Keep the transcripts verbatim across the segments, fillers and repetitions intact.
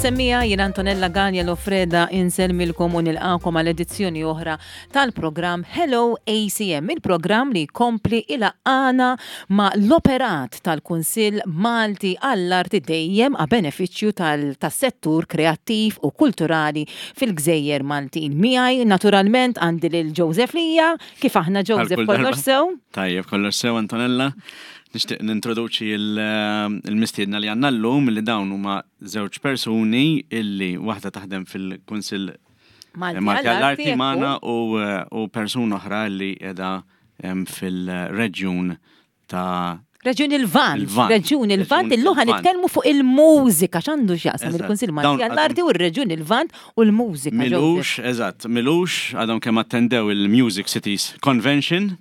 Semmija, jien Antonella Gallia Lofreda insellmilkom u nilqakom għal edizzjoni oħra tal-programm Hello A C M, il-programm li kompli ilaqqana ma l-operat tal-Kunsill Malti għall-Arti, dejjem a benefiċċju tal-settur kreattiv u kulturali fil-Gżejjer Maltin. Miegħi naturalment għandi lil Joseph Lija. Kif aħna, Joseph? Għal kull Kollox darba. sew? Tajjeb, kollox sew, Antonella. Nixtieq nintroduċi il- il-mistiedna li għandna llum, li dawn huma żewġ persuni illi waħda taħdem fil-Kunsill Malti Malti għall-Arti, għall-Arti ekku. magħna u u persuna oħra li qiegħda em, fil-reġjun ta' Reġjun il-Lvant. Il-Lvant. Reġjun il-Lvant, Reġjun illum ħa il-Lvant. nitkellmu fuq il-mużika, x'għandu x'jaqsam Eżatt. il-Kunsill Dawn Malti għall-Arti u r-Reġjun il-Lvant u l-mużika, M'ilux, Joseph? Eżatt, m'ilux, għadhom kemm attendew il-Music Cities Convention.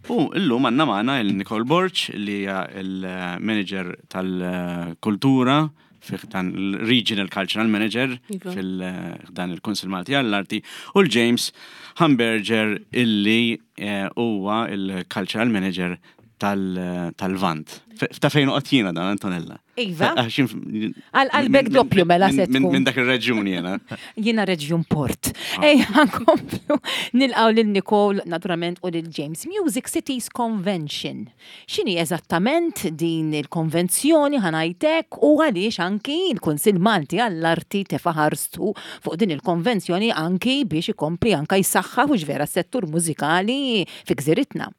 U illum għandna magħna il-Nicole Borg, li hija il-manager tal-kultura, fih dan il-Regional Cultural Manager Iva. fil-dan il-Kunsill Malti għall-Arti, u l-James Hamburger, illi eh, huwa il-Cultural Manager tal- tal-Lvant. F- Ta' fejn noqgħod jiena dan, Antonella? Iva. Għax jien- Għal qalbek minn- doppju mela minn- se Minn tkun. minn dak ir-reġjun jiena. Jiena Reġjun Port. Ah. Ejja, nkomplu nilqgħu lil Nicole naturalment u lil James. Music Cities Convention. X'inhi eżattament din il-konvenzjoni, ħa ngħidlek, u għaliex anki il-Kunsill Malti għall-Arti tefa' ħarstu fuq din il-konvenzjoni anki biex ikompli anka jsaħħaħ u vera settur mużikali fi gżiritna?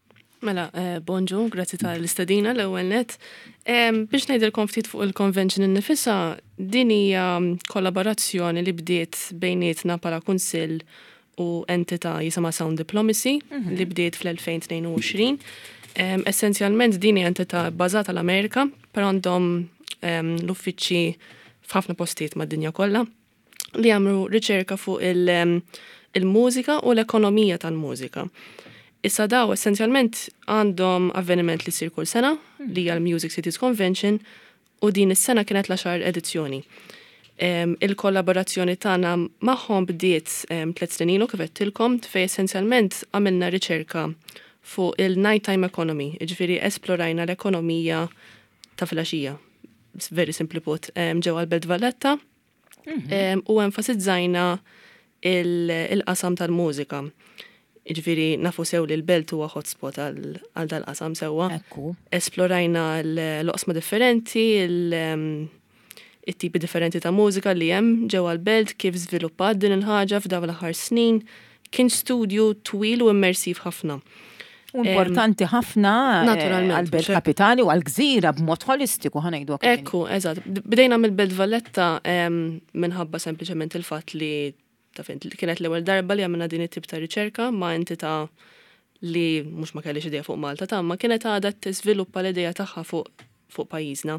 Mela, eh, bonġu, grazzi tal-istedina l-ewwel net. Em, Biex ngħidilkom ftit fuq il-convention innifisha, din hija kollaborazzjoni li bdiet bejnietna bħala kunsill u entità jisimha Sound Diplomacy, li bdiet fl-elfejn u tnejn u għoxrin. Em, Essenzjalment din hija entità bbażata l-Amerika, però għandhom em, l-uffiċċji f'ħafna postijiet mad-dinja kollha, li jagħmlu riċerka fuq il- em, il-mużika u l-ekonomija tal-mużika. Issa daw essenzjalment għandhom avveniment li sir kull sena, li hija l-Music Cities Convention, u din is-sena kienet l-għaxar edizzjoni. Em, Il-kollaborazzjoni tagħna magħhom bdiet em, tliet snin ilu, kif għedtilkom, fej essenzjalment għamilna riċerka fuq il-nighttime economy, jiġifieri esplorajna l-ekonomija ta' filgħaxija. Very simply put, em, ġewwa l-Belt Valletta, em, u enfasizzajna il- il-qasam tal-mużika. Jiġifieri nafu sew li l-belt huwa hotspot għal għal dal-qasam sewwa. Ekku. Esplorajna l-oqsma differenti, il- em, it-tipi differenti ta' mużika li hemm ġewwa l-belt, kif żviluppat din il-ħaġa f'dawn l-aħħar snin. Kien studju twil u immersiv ħafna. U importanti ħafna eh, Naturalment, għal-belt mhux hekk? kapitali u għal-gżira b'mod holistiku, ħa ngħidu hekk. Ekku, eżatt. Bdejna mill-Belt Valletta em, minħabba sempliċement il-fatt li ta' fint, li kienet l-ewwel darba li għamilna din it-tip ta' riċerka ma' entità li mhux ma kellix idea fuq Malta ta' ma kienet għadha tiżviluppa l-idea tagħha fuq fuq pajjiżna.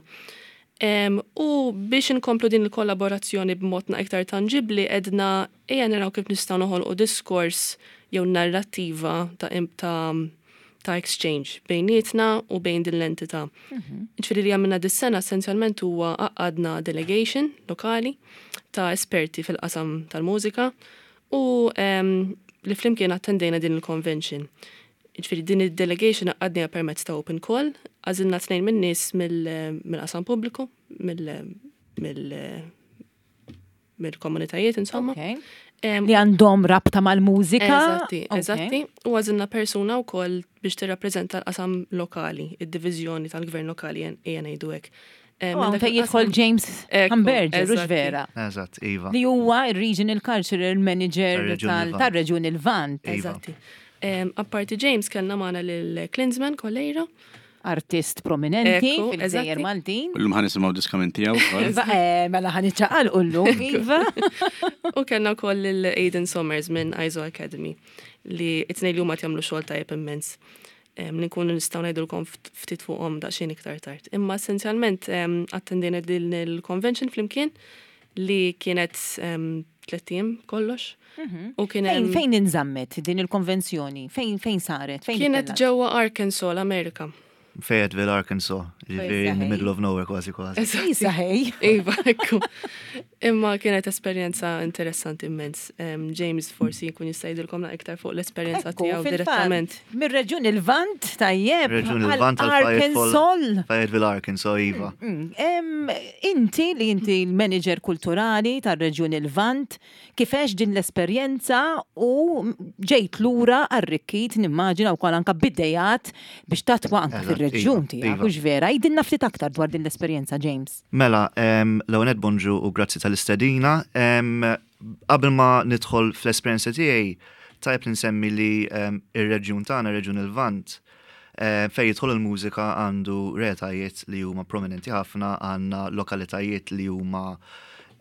Em, u biex inkomplu din il-kollaborazzjoni b'mod na iktar tangibli, għedna ejja naraw kif nistgħu noħolqu diskors jew narrattiva ta' im- ta' ta' exchange bejnietna u bejn din l-entità. Ġifieri li għamilna dis-sena essenzjalment huwa għaqqadna delegation lokali ta' esperti fil-qasam tal-mużika u em, li flimkien attendejna din il-convention. Ġifieri din il-delegation għaqqadniha permezz ta' open call, għażilna tnejn minn nies mill- mill-qasam pubbliku, mill- mill- mill-komunitajiet insomma. Okay. Em, Li għandhom rabta mal-mużika. Eżatti, Okay. eżatti. U għażilna persuna wkoll biex tirrappreżenta l-qasam lokali, id-diviżjoni tal-gvern lokali, ejja ngħidu hekk. Eh, U minn hawn dak fejn jidħol il-qasam- James Ekku, Hamburger, hux eżatti. vera? Eżatt, iva. Li huwa il-Regional Cultural Manager Tar-Reġjun tal- Lvant. tar-Reġjun il-Lvant. Iva. Eżatti. Em, Apparti James kellna magħna lil Klinsman Coleiro. Artist prominenti Ekku, fil-Gżejjer eżatti. Maltin. Illum ħa nisimgħu diska minn tiegħu wkoll. Iva, eh, mela ħa niċċaqalqu llum, iva. U kellna wkoll lil Aiden Somers minn ISO Academy, li it-tnejn li huma jagħmlu xogħol tajjeb immens. Em, Li nkunu nistgħu ngħidulkom ft- ftit fuqhom daqsxejn iktar tard. Imma essenzjalment em, attendejna din il-convention flimkien, li kienet em, tlett ijiem kollox. U kien Fejn hemm- fejn inżammet din il-konvenzjoni? Fejn fejn saret? Fejn Kienet ittellgħet? ġewwa Arkansas, l-Amerika. Fayetteville, Arkansas. Ġifieri in the middle of nowhere kważi kważi. Isa ħej. Iva, ekku. Imma kienet esperjenza interessanti immens. Em, James forsi jkun jista' jgħidilkom iktar fuq l-esperjenza Ekku, tiegħu fil-fatt, direttament. Mir-reġjun il-Lvant, tajjeb, Reġjun għal il-Lvant għal Arkansas. Fayetteville, Arkansas, Iva. Mm, em, Inti li inti l-manager kulturali tar-reġjun il-Lvant, kif għext din l-esperjenza u ġejt lura arrikkit nimmaġina wkoll anka b'idejat biex tattwa anka Eżatt, fir-reġjun iva, tiegħek, iva. hux vera? Għidilna ftit aktar dwar din l-esperjenza, James. Mela, em, l-ewwel bonġu u grazzi tal-istedina. Em, Qabel ma nidħol fl-esperjenza tiegħi, tajb li nsemmi li em, ir-reġjun tagħna, ir-reġjun il-Lvant, eh, fejn jidħol il-mużika għandu realtajiet li huma prominenti ħafna, għandna lokalitajiet li huma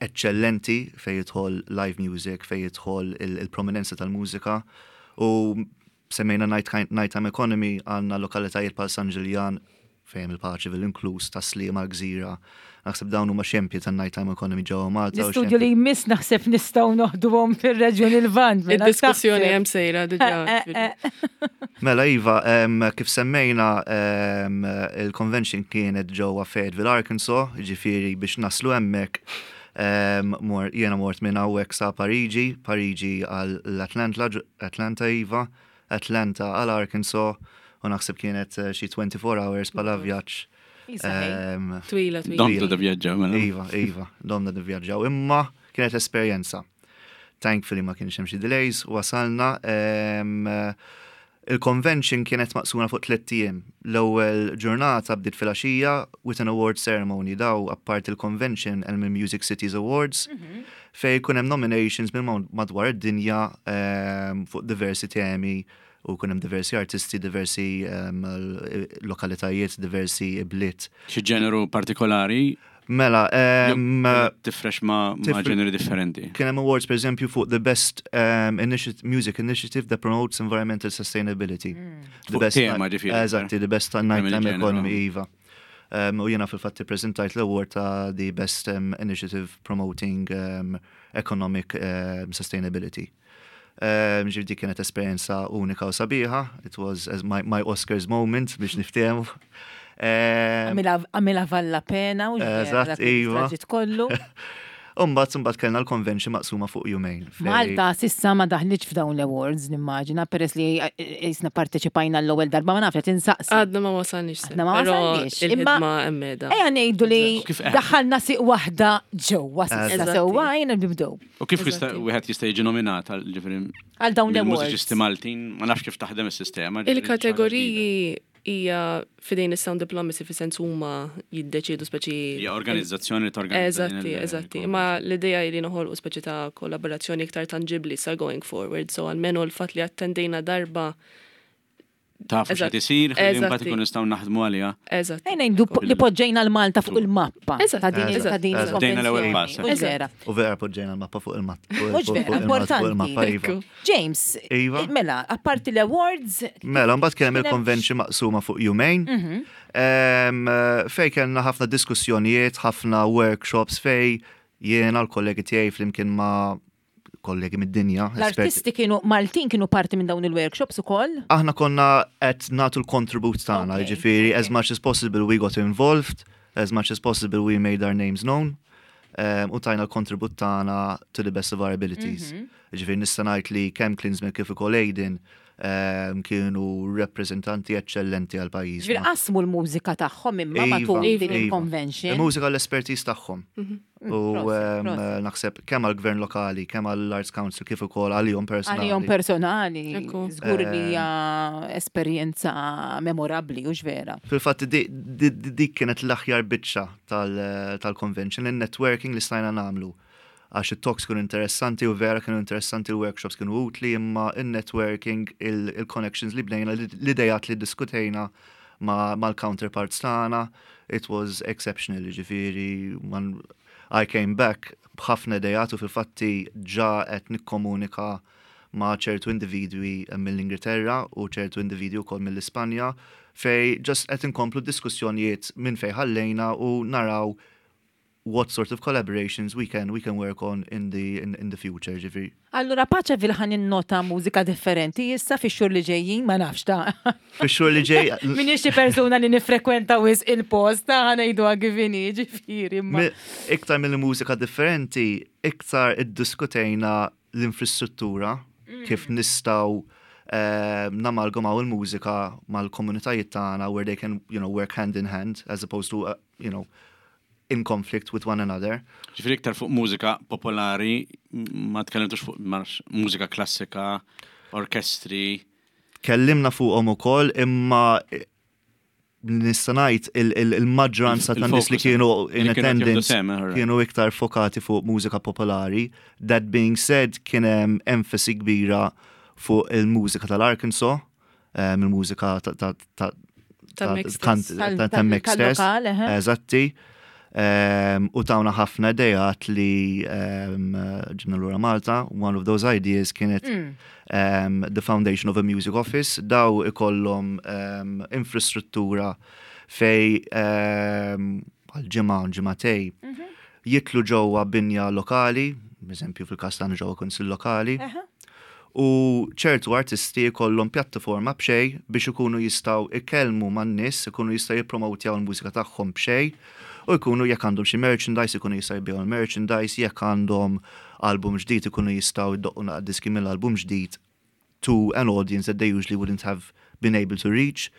eccellenti fejn jidħol live music, fejn jidħol il- il-prominenza tal-mużika. U semmejna night- Nighttime Economy, għandna lokalitajiet bħal San Ġiljan, fejn il-Paċeville inkluż, Tas-Sliema, Gżira. Naħseb dawn huma xempji tan-Nighttime Economy ġewwa Malta. u L-istudju li jmiss naħseb nistgħu noħduhom fir-reġjun il-Lvant. mela Id-diskussjoni taħseb. hemm sejra diġà. Eh, eh, eh. Mela Iva, em, kif semmejna em, il-convention kienet ġewwa Fayetteville, Arkansas, ġifieri biex naslu hemmhekk em, mor, jiena mort minn hawnhekk sa Pariġi, Pariġi għal l-Atlanta, Atlanta Iva, Atlanta għal Arkansas, u naħseb kienet eh, xi twenty-four hours bħala vjaġġ. Isa ħej. Em, Twila, twila. Domtu tivvjaġġaw, mela. Iva, Iva, domna nivvjaġġaw. Imma kienet esperjenza. Thankfully ma kienx hemm xi delays, wasalna. em, Il-convention kienet maqsuma fuq tliet ijiem. L-ewwel ġurnata bdiet filgħaxija with an award ceremony. Daw apart il-convention hemm il-Music Cities Awards fejn jkun hemm nominations minn madwar id-dinja em, fuq diversi temi u jkun hemm diversi artisti, diversi em, lokalitajiet, diversi bliet. Xi ġeneru partikolari? Mela, em, Tifrex ma' ma' tifre- ġeneri differenti. Kien hemm awards per eżempju fuq the best um, initiative, music initiative that promotes environmental sustainability. The Fuq tema, ġifieri. Eżatti, the best nighttime il-ġeneru. economy, iva. Um, u jiena fil-fatt prezentajt l-award ta' the best um, initiative promoting um, economic um, sustainability. Um, ġifieri dik kienet esperjenza unika u sabiħa. It was as my, my Oscars moment biex niftehmu. Um, Għamilha valla pena u Eżatt, iva. kollu. Umbagħad, umbagħad kellna l-convention maqsuma fuq jumejn. Fej- Malta s'issa ma daħlitx f'dawn l-awards, nimmaġina, peress li jisna parteċipajna l-ewwel darba, ma nafx, qed insaqsi. Għadna ma wasalniex. Għadna ma Però wasalniex, imma- il-ħidma hemmhekk. Ejja ngħidu li U kif- daħħalna siq waħda ġewwa s'issa Eżatti. sewwa jiena nibdew. U kif jista' Eżatti. wieħed jista' jiġi nominat għal ġifieri Għal dawn l-awards. Mużiċisti Maltin, ma nafx kif taħdem is-sistema. Ġifieri Il-kategoriji hija f'idejn is-Sound Diplomacy, fi sens huma jiddeċidu speċi. Hija organizzazzjoni li torganizza din Eżatti, il- eżatti. Imma l-idea li noħolqu speċi ta' kollaborazzjoni iktar tangibli sa going forward. So almenu l-fatt li attendejna darba. Tafu Eżatt. x'qed isir, ħalli mbagħad Eżatti. ikun nistgħu naħdmu għaliha. Eżatt. Ejja ngħidu li poġġejna l-Malta fuq il-mappa Eżatt, ta' din eżatt, ta' din eżatt. Bdejna l-ewwel il-konvenzjoni. pass. Mhux vera? U vera poġġejna l-mappa fuq il-mat. Mhux vera, importanti. Iva. James, Iva. mela, apparti l-awards, Mela, mbagħad kien hemm Kien hemm- il-convention maqsuma fuq jumejn. Em, Fej kellna ħafna diskussjonijiet, ħafna workshops fej jiena l-kollegi tiegħi flimkien ma' kollegi mid-dinja, esperti. L-artisti kienu Maltin kienu parti minn dawn il-workshops ukoll? Aħna konna qed nagħtu l-contribute tagħna, Okay, jiġifieri as okay. much as possible we got involved, as much as possible we made our names known. Um, u tajna l-kontribut tagħna to the best of our abilities. Mhm. Ġifieri nista' ngħid li kemm Klinsman kif ukoll Aiden um, kienu rappreżentanti eċċellenti għal pajjiż. Ġifieri qasmu l-mużika tagħhom imma Iva, matul din iva. il-convention. Il-mużika l-expertise tagħhom. U Prosit, um, prosit. naħseb kemm għall-gvern lokali, kemm għall-Arts Council, kif ukoll għalihom personali. Għalihom personali, Ekku. żgur li hija esperjenza memorabbli, u vera? Fil-fatt di- di- di- dik kienet l-aħjar biċċa tal- tal-convention, il-networking li stajna nagħmlu. Għax it-talks kienu interessanti u vera kienu interessanti, il-workshops kienu utli, imma il-networking, il-connections li bnejna, l-idejat li diskutejna ma- mal-counterparts tagħna, it was exceptional, ġifieri, man- I came back b'ħafna idejat u fil-fatti ġa qed nikkomunika ma' ċertu individwi mill-Ingilterra u ċertu individwi wkoll mill-Ispanja fej just qed inkomplu diskussjonijiet minn fej ħallejna u naraw what sort of collaborations we can we can work on in the in, in the future, ġifieri. Allura paċe fil-ħan nota mużika differenti issa fix-xhur li ġejjin, ma nafx ta' Fix-xhur li ġej Minix xi persuna li nifrekwenta wisq il-post ta' ħa ngħidu kif inhi, ġifieri. imma. Mi- Iktar mill-mużika differenti, iktar iddiskutejna l-infrastruttura, kif nistgħu eh, namalgamaw il-mużika mal-komunitajiet tagħna where they can, you know, work hand in hand as opposed to, uh, you know, in conflict with one another. Ġifieri iktar fuq mużika popolari, ma tkellimtux fuq ma nafx, mużika klassika, orkestri. Kellimna fuqhom ukoll, imma nista' ngħid il- il- il-maġġoranza tan nies li Il-focus, kienu in li kienu qed jieħdu attendance sehem, eh, kienu iktar fokati fuq mużika popolari. That being said, kien hemm enfasi kbira fuq il-mużika tal-Arkansas, um, il-mużika ta' ta' ta' Ta' Mek stess. kant- Tal- ta' tal- Mek stess. tal-lokal, eħe. Eżatti. Um, u tawna ħafna idejat li um, ġibna lura Malta. One of those ideas kienet um, the foundation of a music office. Daw ikollhom um, infrastruttura fej um, għal ġimgħa ġimgħatej jitlu ġewwa binja lokali, eżempju fil-każ tagħna ġewwa kunsill lokali, Eħe. u ċertu artisti jkollhom pjattaforma b'xejn biex ikunu jistgħu ikellmu man-nies, ikunu jistgħu jippromotjaw il-mużika tagħhom b'xejn, u jkunu jekk għandhom xi merchandise, ikunu jistgħu jbigħu l-merchandise, jekk għandhom album ġdid ikunu jistgħu jdoqqu naqra diski mill-album ġdid to an audience that they usually wouldn't have been able to reach.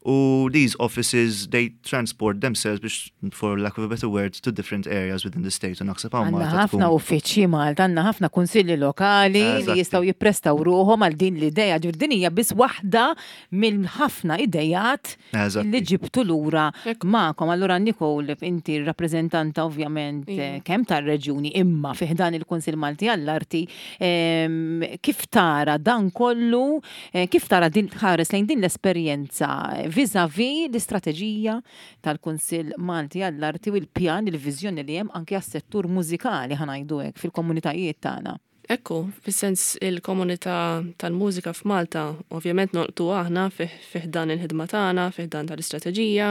U these offices, they transport themselves, biex, for lack of a better word, to different areas within the state. U naħseb hawn Għandna Malta ħafna tkun- uffiċċji Malta, għandna ħafna kunsilli lokali li Eżatti. jistgħu jipprestaw ruħhom għal din l-ideja. Ġifieri din hija biss waħda mill-ħafna idejat Eżatti. li ġibtu lura Ekku. magħkom. Allura Nicole, inti rappreżentanta ovvjament eh, kemm tar-reġjuni imma fi ħdan il-Kunsill Malti għall-Arti, em, kif tara dan kollu, eh, kif tara din ħares lejn din l-esperjenza vis-a-vis l-istrateġija tal-Kunsill Malti għall-Arti u l-pjan, il-viżjoni li hemm anke għas-settur mużikali, ħa ngħidu hekk, fil-komunitajiet tagħna? Ekku, fis-sens il-komunità tal-mużika f'Malta, ovvjament nolqtu aħna fih dan il-ħidma tagħna, fih dan tal-istrateġija,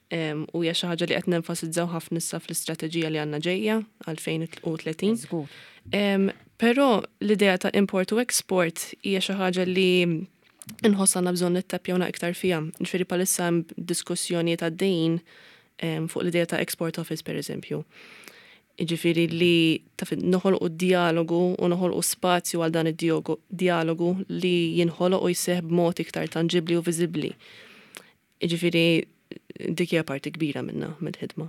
em, u hija xi ħaġa li qed nenfasizzaw ħafna issa fl-istrateġija li għandna ġejja għal-elfejn u tletin. Żgur. Em, Però l-idea ta' import u export hija xi ħaġa li nħoss għandna bżonn nittapjawna iktar fiha. Ġifieri bħalissa hemm diskussjoni ta' dejn em, fuq l-idea ta' export office, per eżempju. Ġifieri li taf noħolqu dialogu u noħolqu spazju għal dan id-dialogu li jinħoloq u jseħ b'mod iktar tangibli u viżibbli. Ġifieri dik hija parti kbira minna mill-ħidma.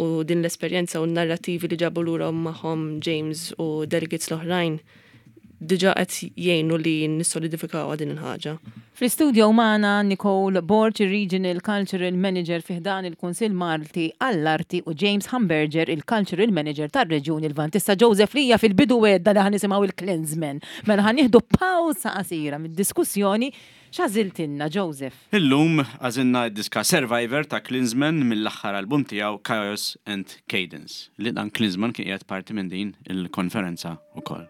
U din l-esperjenza u n-narrativi li ġabu lura magħhom James u delegates l-oħrajn diġa qed jgħinu li nissolidifikaw din il-ħaġa. Fl-istudio magħna Nicole Borg, il-Regional Cultural Manager fi ħdan il-Kunsill Malti għall-Arti, u James Hamburger, il-Cultural Manager tar-Reġjun il-Lvant. Issa Joseph lija fil-bidu għedna li ħa nisimgħu il-Klinsmann. Mela ħa nieħdu pawsa qasira mid-diskussjoni. X'għażiltilna, Joseph? Illum għażilna d-diska Survivor ta' Klinsmann mill-aħħar album tiegħu Chaos and Cadence, li dan Klinsmann kien qiegħed parti minn din il-konferenza ukoll.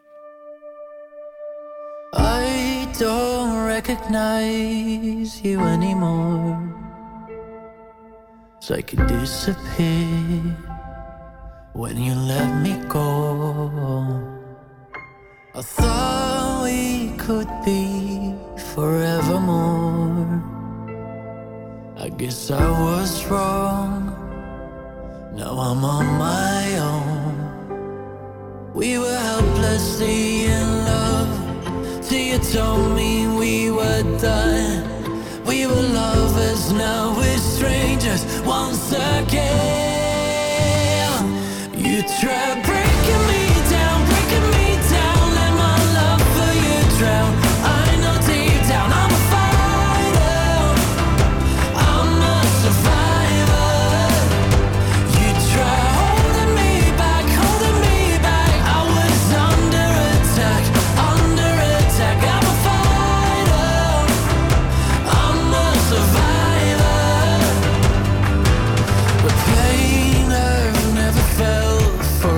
I don't recognize you anymore. It's like you disappeared when you let me go. I thought we could be forevermore. I guess I was wrong. Now I'm on my own. We were helplessly in love till you told me we were done. We were lovers, now we're strangers once again. You tried breaking me down, breaking me down, let my love for you drown. I know deep down I'm a fighter, I'm a survivor. You try holding me back, holding me back. I was under attack, under attack. I'm a fighter, I'm a survivor. The pain I've never felt for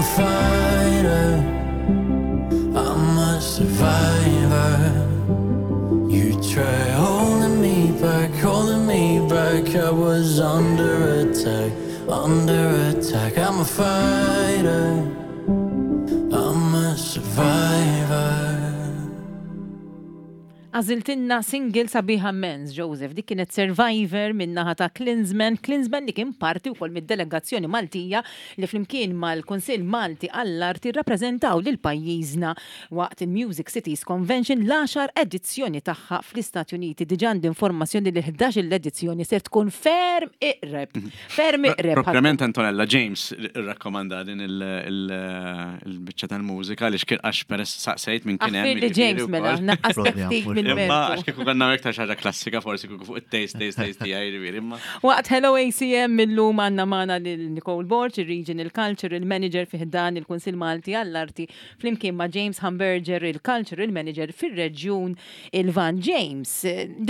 a fighter, I'm a survivor. You try holding me back, holding me back. I was under attack, under attack. I'm a fighter, I'm a survivor. Għażiltilna single sabiħa immens, Joseph. Dik kienet Survivor min-naħa ta' Klinsman. Klinsman li kien parti wkoll mid-delegazzjoni Maltija li flimkien mal-Kunsill Malti għall-Arti rappreżentaw lil pajjiżna waqt il-Music Cities Convention, l-għaxar edizzjoni tagħha fl-Istati Uniti. Diġà għandi informazzjoni li ħdax il-edizzjoni ser tkun ferm iqreb. Ferm iqreb. Proprjament Antonella James irrakkomanda din il-biċċa tal-mużika li xkien għax peress saqsejt minn kien hemm. Aħfir li James mela, naqqas Propja, ftit mhux- minn Imma mertu. għax kieku konna iktar xi ħaġa klassika, forsi kieku fuq it-taste, taste, taste tiegħi, jiġifieri, imma. Waqt Hello A C M illum għandna magħna lil Nicole Borg, il-Regional Cultural Manager fi ħdan il-Kunsill Malti għall-Arti, flimkien ma' James Hamburger, il-Cultural Manager fir-Reġjun il-Lvant. James,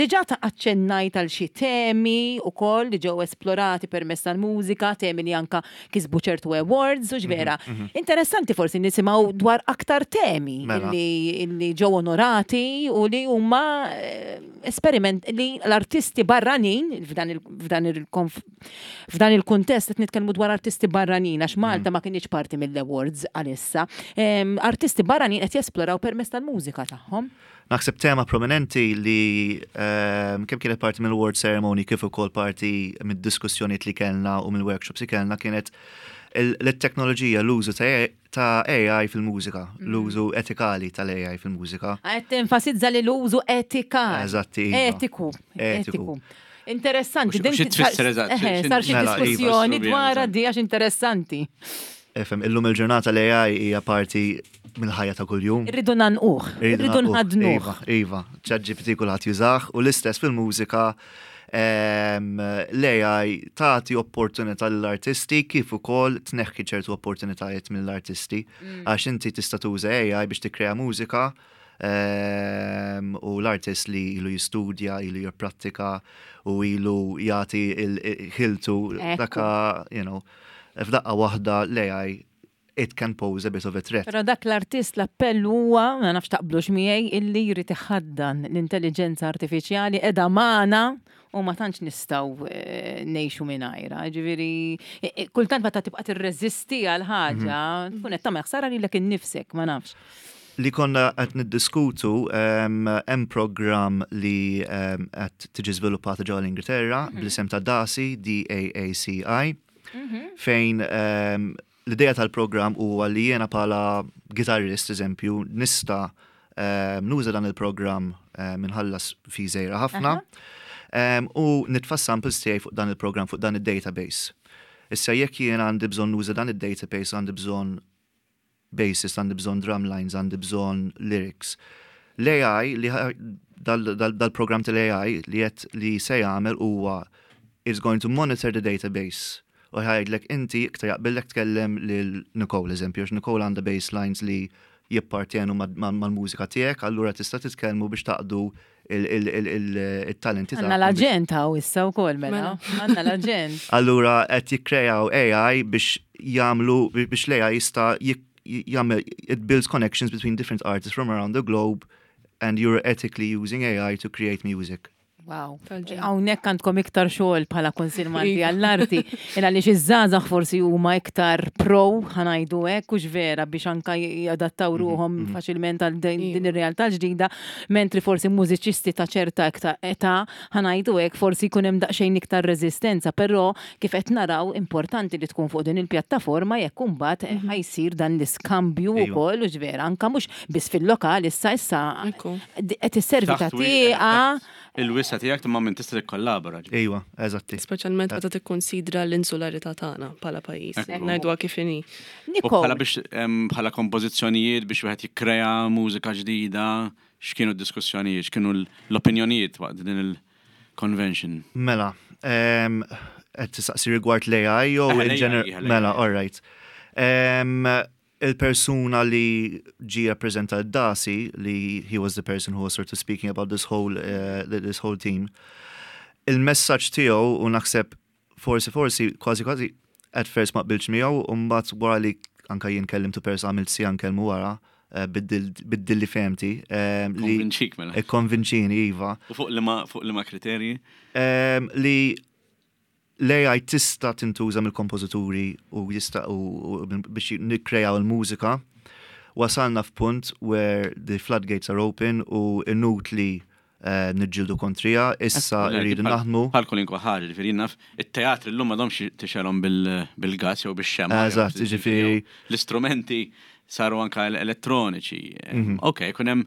diġà ta' aċċennajt għal xi temi ukoll li ġew esplorati permezz tal-mużika, temi li anka kisbu ċertu awards u ġvera. Interessanti forsi nisimgħu dwar aktar temi Mela. illi, illi ġew onorati u li huma eh, esperiment li l-artisti barranin f'dan il- f'dan il-konf- f'dan il-kuntest qed nitkellmu dwar artisti barranin għax Malta ma kienx parti mill-awards għalissa. Em, Artisti barranin qed jesploraw permezz tal-mużika tagħhom. Naħseb tema prominenti li um, kemm kienet parti mill-award ceremony kif ukoll parti mid-diskussjonijiet li kellna u mill-workshops li kellna kienet il- l-teknoloġija, l-użu ta' ta' A I fil-mużika, l-użu etikali tal-A I fil-mużika. Qed tenfasizza li l-użu etikali. Eżatti, iva. Etiku. Etiku. Etiku. Interessanti. U xi- din u xi tfisser sar- eżatt? Eħe, Xi- sar xi Mela, iva, diskussjoni iva. dwar di għax interessanti. Efem, illum il-ġurnata l-A I hija parti mill-ħajja ta' kuljum. Irridu ngħannquh, irridu nħaddnuh. Iva, iva, ChatGPT kulħadd jużah u l-istess fil-mużika em, l-A I tagħti opportunità lill-artisti kif ukoll tneħħi ċertu opportunitajiet mill-artisti għax inti tista' tuża A I biex tikkrea mużika em, u l-artist li ilu jistudja, ilu jipprattika u ilu jagħti il-ħiltu Ekku. daka, you know, f'daqqa waħda l-A I it can pose a bit of a threat. Però dak l-artist l-appell huwa, ma nafx taqblux miegħi, illi jrid iħaddan l-intelligenza artifiċjali, qiegħda magħna u ma tantx nistgħu eh, ngħixu mingħajrha. Ġifieri eh, eh, kultant meta tibqa' tirreżisti għal ħaġa, tkun qed tagħmel ħsara lilek innifsek, ma nafx. Li konna qed niddiskutu, um, hemm program li um, qed tiġi żviluppata ġewwa l-Ingilterra bl-isem ta' DACI, D A A C I, fejn um, l-idea tal-program huwa li jiena bħala gitarrist, eżempju, nista' um, nuża dan il-program um, minħallas fi żgħira ħafna um, u nitfa' samples tiegħi fuq dan il-program, fuq dan il-database. Issa jekk jiena għandi bżonn nuża dan il-database, għandi bżonn bassist, għandi bżonn drum lines, għandi bżonn lyrics. L-A I, li ħa- dal- dal- dal-program tal-A I li qed li se jagħmel huwa is going to monitor the database. U jgħidlek inti iktar jaqbillek tkellem lil Nicole, eżempju, għax Nicole għandha bass lines li jippartjenu ma- ma- mal-mużika tiegħek, allura tista' titkellmu biex taqdu il-talenti. Għandna l-aġent hawn issa wkoll mela. Għandna l-aġent. Allura qed jikkrejaw A I biex jagħmlu biex l-A I jista' jik- jagħmel, it builds connections between different artists from around the globe and you're ethically using A I to create music. Wow. Tal-ġenn. Hawnhekk għandkom iktar xogħol bħala Kunsill Malti Iva. għall-Arti. Il għaliex iż-żgħażagħ forsi huma iktar pro, ħa ngħidu hekk, hux vera, biex anka jadattaw ruhom faċilment għal din din ir-realtà ġdida, mentri forsi mużiċisti ta' ċerta iktar età, ħa ngħidu hekk, forsi jkun hemm daqsxejn iktar reżistenza, però kif qed naraw importanti li tkun fuq din il-pjattaforma jekk imbagħad ħa jsir dan l-iskambju Iva. wkoll u ġvera anka mhux biss fil-lokal issa issa Ekku. qed isservi ta' Taħt wi- tieqa. Il-wisa tiegħek imma minn tista' tikkollabora. Ejwa, eżatti. Speċjalment meta tikkonsidra l-insularità tagħna bħala pajjiż. Ekku. Ngħiduha kif inhi. U Nicole, bħala biex em, bħala kompożizzjonijiet biex wieħed jikkrea mużika ġdida, x'kienu d-diskussjonijiet, x'kienu l-opinjonijiet waqt din il-convention? Mela, em, qed tistaqsi rigward l-A I jew Eh, in l-A I, gener- l-A I. Mela, all right. Em, il-persuna li ġi rappresenta d-DACI, li he was the person who was sort of speaking about this whole, uh, this whole team, il-messaġġ tiegħu u naħseb forsi forsi kważi kważi at first ma qbilx miegħu u mbagħad wara li anka jien kellimtu persa, għamilt siegħa nkellmu wara, eh, biddilli fehmti. eh, li Konvinċik mela. Konvinċini, iva. U fuq liema fuq liema kriterji? Em, li l-A I tista' tintuża mill-kompożituri u jista' u, u biex nikkrejaw il-mużika. Wasalna f'punt where the floodgates are open u inutli uh, niġġieldu kontriha, issa rridu naħdmu. Bħal kwalunkwe ħaġa, ġifieri naf, it-teatri llum m'għadhomx tixgħelhom bil-gas jew bix-xemgħa. Eżatt, ġifieri- L-istrumenti saru anka elettroniċi. Mhm. Ok, kun hemm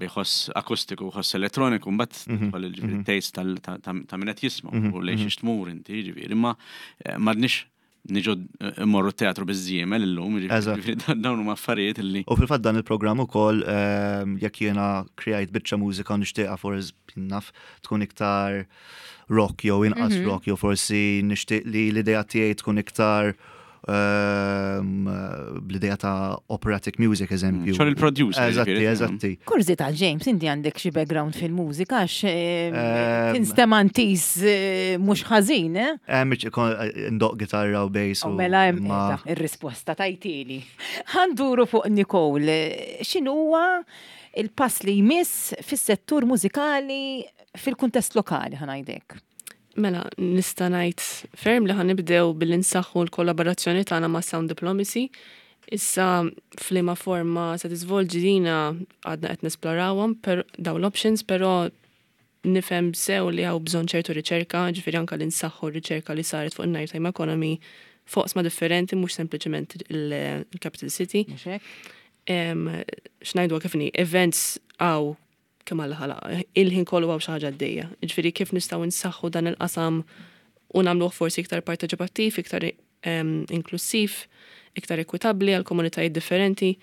biħoss akustiku, ħoss elettroniku, mbagħad Mhm, tidħol il-ġifieri taste tal- ta' ta' min qed jisma' u lejn xiex tmur inti, ġifieri, imma eh, m'għadniex niġu eh, immorru teatru biż-żiemel illum, Eżatt. ġifieri dawn huma affarijiet illi U fil-fatt dan il-programm ukoll ehm, jekk jiena krejajt biċċa mużika u nixtieqha forsi naf tkun iktar rock jew inqas rock, jew forsi nixtieq li l-idea tiegħi tkun iktar ehm, bl-idea ta' operatic music, eżempju. Xogħol il-producer, Eżatti, ġifieri. eżatti. Kurżità, James, inti għandek xi background fil-mużika, għax Ehm, tinstema' intis mhux ħażin, eh? Hemm ndoqq gitarra u bass U u mela hemm ma- qiegħda, ir-risposta tajtili. Ħa nduru fuq Nicole, x'inhuwa il-pass li jmiss fis-settur mużikali fil-kuntest lokali, ħa ngħidlek? Mela, nista' ngħid ferm li ħa nibdew billi nsaħħu l-kollaborazzjoni tagħna ma' Sound Diplomacy. Issa f'liema forma se tiżvolġi dina għadna qed nesplorawhom per dawn l-options, però nifhem sew li hawn bżonn ċertu riċerka, ġifieri anke li nsaħħu r-riċerka li saret fuq il-Nighttime Economy fuq differenti, mhux sempliċement il-Capital City. Mhux hekk? Em, X'ngħidu kif inhi, events hawn kemm Alla ħalaq, il-ħin kollu hawn xi ħaġa għaddejja. Ġifieri kif nistgħu nsaħħu dan il-qasam u nagħmluh forsi iktar parteċipattiv, iktar em, inklusiv, iktar ekwitabbli għal komunitajiet differenti.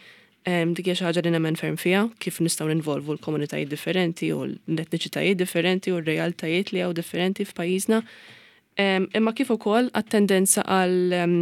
Em, Dik hija xi ħaġa li nemmen ferm fiha, kif nistgħu ninvolvu l-komunitajiet differenti u l-etniċitajiet differenti u r-realtajiet li hawn differenti f'pajjiżna. Em, Imma kif ukoll għat-tendenza għal em,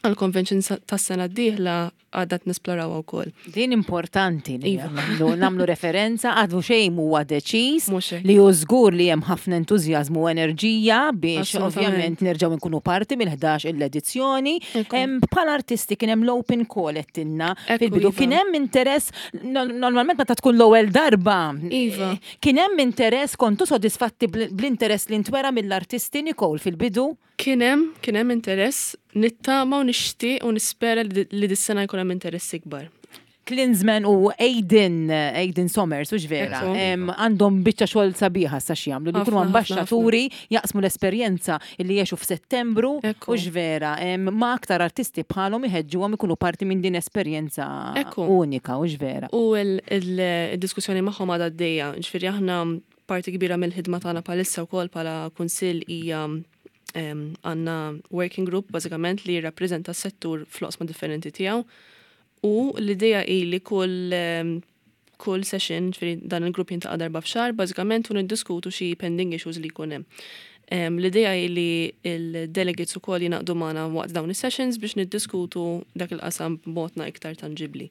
għal-convention tas-sena d-dieħla għadna nesplorawha wkoll. Din importanti li Iva. nagħmlu nagħmlu referenza, għadu xejn huwa deċiż Mhux hekk. li hu żgur li hemm ħafna entużjażmu u enerġija biex Assolutament. ovvjament nerġgħu nkunu parti mill-ħdax l-edizzjoni. Ekku. Hemm bħala artisti kien hemm l-open call għedtilna Ekku, fil-bidu. iva. Kien hemm interess no- normalment meta tkun l-ewwel darba. Iva. eh, Kien hemm interess, kontu sodisfatti bl- bl-interess li ntwera mill-artisti, Nicole, fil-bidu? Kien hemm, kien hemm interess, nittama u nixtieq u nispera li li dis-sena jkun hemm interess ikbar. Klinsman u Aiden, Aiden Somers, u vera, Ekku. em, għandhom biċċa xogħol sabiħa sa x'jagħmlu, li jkunu Ħafna, ħafna, ambaxxaturi jaqsmu l-esperjenza li jgħixu f'Settembru, Ekku. u vera, em, ma aktar artisti bħalhom iħeġġuhom ikunu parti minn din esperjenza Ekku. unika, u vera. U il-diskussjoni magħhom għadha għaddejja, ġifieri aħna parti kbira mill-ħidma tagħna bħalissa wkoll bħala kunsill hija em, għandna working group bażikament li jirrappreżenta s-settur fl-oqsma differenti tiegħu. U l-idea hi li kull em, kull session, ġifieri dan il-grupp jiltaqa' darba f'xahar, bażikament u niddiskutu xi pending issues li jkun hemm. Em, L-idea hi li il-delegates ukoll jingħaqdu magħna waqt dawn is-sessions biex niddiskutu dak il-qasam b'mod iktar tangibli.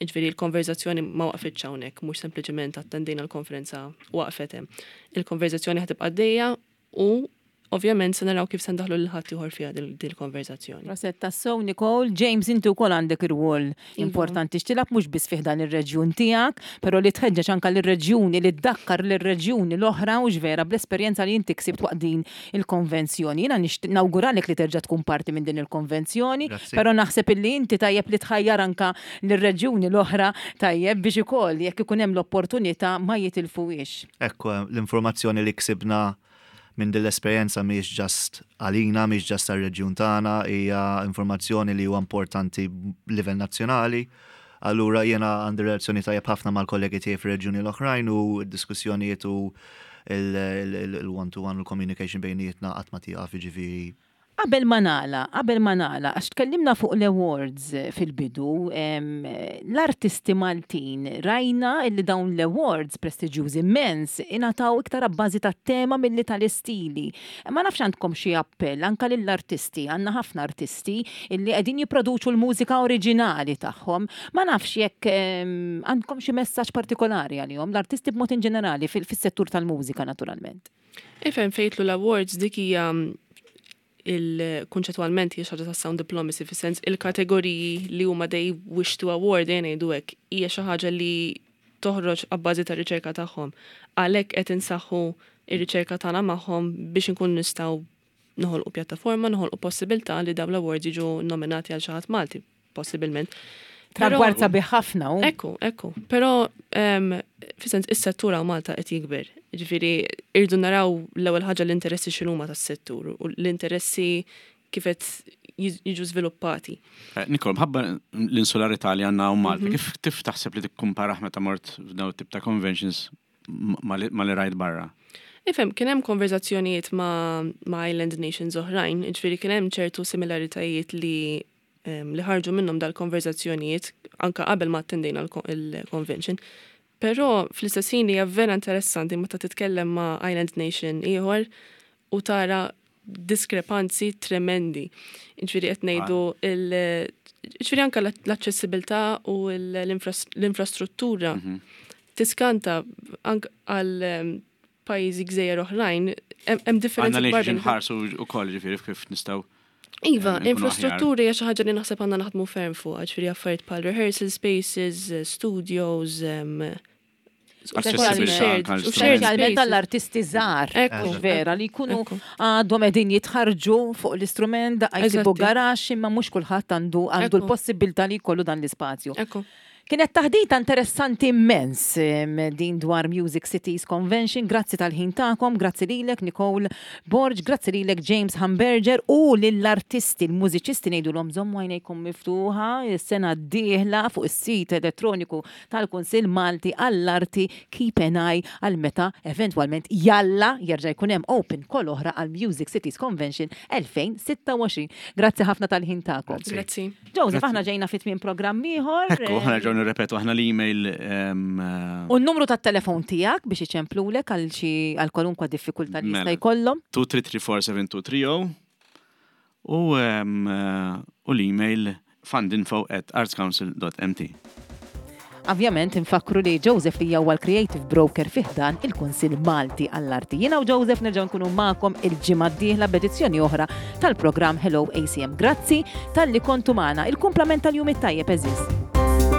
Ġifieri l-konverzazzjoni ma waqfitx hawnhekk, mhux sempliċement attendejna l-konferenza u waqfet hemm. Il-konverzazzjoni ħa tibqa' għaddejja u ovvjament se naraw kif se ndaħlu lil ħadd ieħor fiha dil- dil-konverzazzjoni. Prosit tassew, Nicole. James, inti wkoll għandek ir-rwol importanti x'tilgħab mhux biss fih dan ir-reġjun tiegħek, però li tħeġġeġ anke lir-reġjuni, li tdakkar lir-reġjuni l-oħra, u vera, bl-esperjenza li inti ksibt waqt din il-konvenzjoni. Jiena nixtieq nawguralek li terġa' tkun parti minn din il-konvenzjoni, Grazzi. però naħseb illi inti tajjeb li tħajjar anka lir-reġjuni l-oħra tajjeb biex ukoll jekk ikun hemm l-opportunità ma jitilfuhiex. Ekku, l-informazzjoni li ksibna minn din l-esperjenza mhijiex just għalina, mhijiex just għar-reġjun tagħna, hija informazzjoni li huwa importanti livell nazzjonali. Allura jiena għandi relazzjoni tajjeb ħafna mal-kollegi tiegħi fir-reġjuni l-oħrajn u d-diskussjonijiet u il-one-to-one u l-communication bejnietna qatt ma tieqaf, jiġifieri. Qabel ma nagħlaq, qabel ma nagħlaq, għax tkellimna fuq l-awards fil-bidu, em, l-artisti Maltin, rajna illi dawn l-awards prestiġjużi immens ingħataw iktar abbażi tat-tema milli tal-istili. Ma nafx għandkom xi appell anka lill-artisti, għandna ħafna artisti illi qegħdin jipproduċu l-mużika oriġinali tagħhom. Ma nafx jekk em, għandkom xi messaġġ partikolari għalihom, l-artisti b'mod in ġenerali fil- fis-settur tal-mużika naturalment. Ifhem fejn jidħlu l-awards, dik hija Il-kunċettualment hija xi ħaġa ta' sound diplomacy, fis-sens il-kategoriji li huma they wish to award, ngħidu hekk, hija xi ħaġa li toħroġ abbażi ta' riċerka tagħhom. Għalhekk qed insaħħu ir-riċerka tagħna magħhom biex inkun nistgħu noħolqu pjattaforma, noħolqu possibilità li dawn l-awards jiġu nominati għal xi ħadd Malti, possibilment. Però- Tragward sabiħ ħafna u. Ekku, ekku. Però, um, fis-sens, is-settur hawn Malta qed jikber. Ġifieri, irdu naraw l-ewwel ħaġa l-interessi x'inhuma tas-settur u l-interessi kif qed jiġ- jiġu żviluppati. Eh, Nicole, mħabba l-insularità li għandna hawn Malta, kif tif taħseb li tikkumparaħ meta mort f'daw tip ta' conventions ma li ma li rajt barra? Ifhem, kien hemm konverzazzjonijiet ma', ma' Island Nations oħrajn, ġifieri kien hemm ċertu similaritajiet li em, li ħarġu minnhom dal-konverzazzjonijiet anka qabel ma attendejna l-convention. Però fl-istess ħin hija vera interessanti meta titkellem ma' Island Nation ieħor u tara diskrepanzi tremendi. Ġifieri qed ngħidu il ġifieri anka l-aċċessibilità u l-infrastruttura tiskanta anke għal em, pajjiżi gżejjer oħrajn, hemm hemm differenzi Għandna li kbar bejn- nħarsu u koll ġifieri kif nistgħu. Iva, eh, nkunu infrastruttura hija xi ħaġa li naħseb għandna naħdmu ferm fuq, ġifieri affarijiet bħal rehearsal spaces, eh, studios, em, Accessibilità shared- anke u għall shared Speċjalment spaces. għall-artisti żgħar. Ekku, Vera li jkunu ekku. għadhom qegħdin jitħarġu fuq l-istrument, daqqa jsibu Eżatti. garaxx, imma mhux kulħadd għandu għandu Ekku. l-possibilità li jkollu dan l-ispazju. Ekku. Kienet taħdita interessanti immens em, din dwar Music Cities Convention. Grazzi tal-ħin tagħkom, grazzi lilek Nicole Borg, grazzi lilek James Hamburger u lill-artisti, l-mużiċisti, ngħidulhom żommu għajnejkom miftuħa is-sena d-dieħla fuq is-sit elettroniku tal-Kunsill Malti għall-Arti, keep an eye għal meta eventwalment jalla jerġa' jkun hemm open call oħra għal Music Cities Convention elfejn u sitta u għoxrin. Grazzi ħafna tal-ħin tagħkom. Grazzi. Joseph, aħna ġejna fit minn programm ieħor. Ekku, aħna ġew nirrepetu aħna l-email em, eh, U n-numru tat-telefon tiegħek biex iċemplulek għal xi għal kwalunkwa diffikultà li jista' Mela. jkollhom. tnejn tlieta tlieta erba' seba' tnejn tlieta żero u em, eh, u l-email fundinfo at artscouncil dot M T. Ovvjament infakru li Joseph li huwa l-Creative Broker fi ħdan il-Kunsill Malti għall-Arti. Jiena u Joseph nerġgħu nkunu magħkom il-ġimgħa d-dieħla b'edizzjoni oħra tal-programm Hello A C M. Grazzi talli kontu magħna. Il-kumplament tal-jum it-tajjeb, għeżież.